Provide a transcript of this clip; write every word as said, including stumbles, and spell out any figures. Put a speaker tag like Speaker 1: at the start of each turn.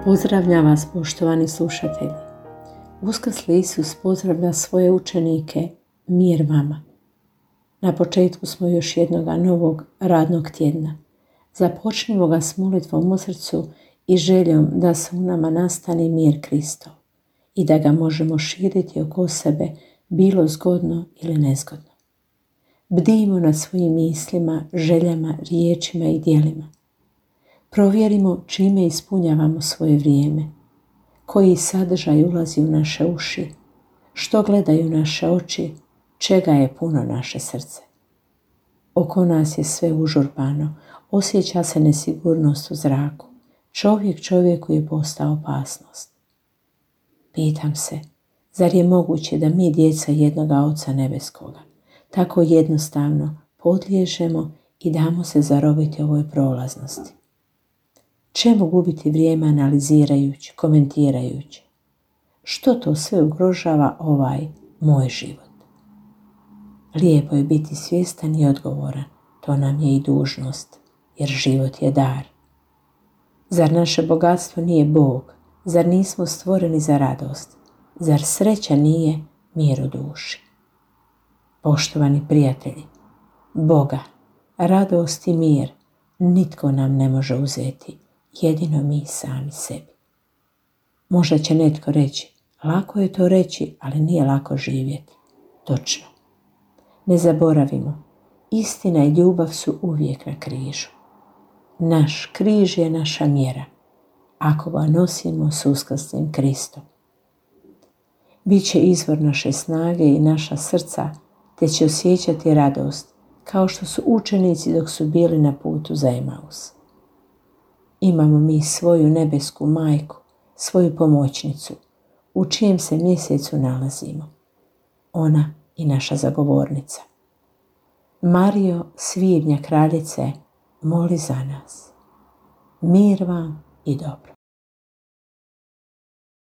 Speaker 1: Pozdravljam vas, poštovani slušatelji. Uskrsli Isus pozdravlja svoje učenike, mir vama. Na početku smo još jednog novog radnog tjedna. Započnimo ga s molitvom u srcu i željom da se u nama nastane mir Kristov i da ga možemo širiti oko sebe, bilo zgodno ili nezgodno. Bdijmo nad svojim mislima, željama, riječima i djelima. Provjerimo čime ispunjavamo svoje vrijeme, koji sadržaj ulazi u naše uši, što gledaju naše oči, čega je puno naše srce. Oko nas je sve užurbano, osjeća se nesigurnost u zraku, čovjek čovjeku je postao opasnost. Pitam se, zar je moguće da mi, djeca jednoga Oca nebeskoga, tako jednostavno podliježemo i damo se zarobiti ovoj prolaznosti? Čemu gubiti vrijeme analizirajući, komentirajući? Što to sve ugrožava ovaj moj život? Lijepo je biti svjestan i odgovoran, to nam je i dužnost, jer život je dar. Zar naše bogatstvo nije Bog? Zar nismo stvoreni za radost? Zar sreća nije mir u duši? Poštovani prijatelji, Boga, radost i mir nitko nam ne može uzeti, jedino mi sami sebi. Možda će netko reći, lako je to reći, ali nije lako živjeti. Točno. Ne zaboravimo, istina i ljubav su uvijek na križu. Naš križ je naša mjera, ako ga nosimo s uskrslim Kristom. Biće izvor naše snage i naša srca, te će osjećati radost, kao što su učenici dok su bili na putu za Emaus. Imamo mi svoju nebesku majku, svoju pomoćnicu, u čijem se mjesecu nalazimo. Ona i naša zagovornica. Marijo, svibnja kraljice, moli za nas. Mir vam i dobro.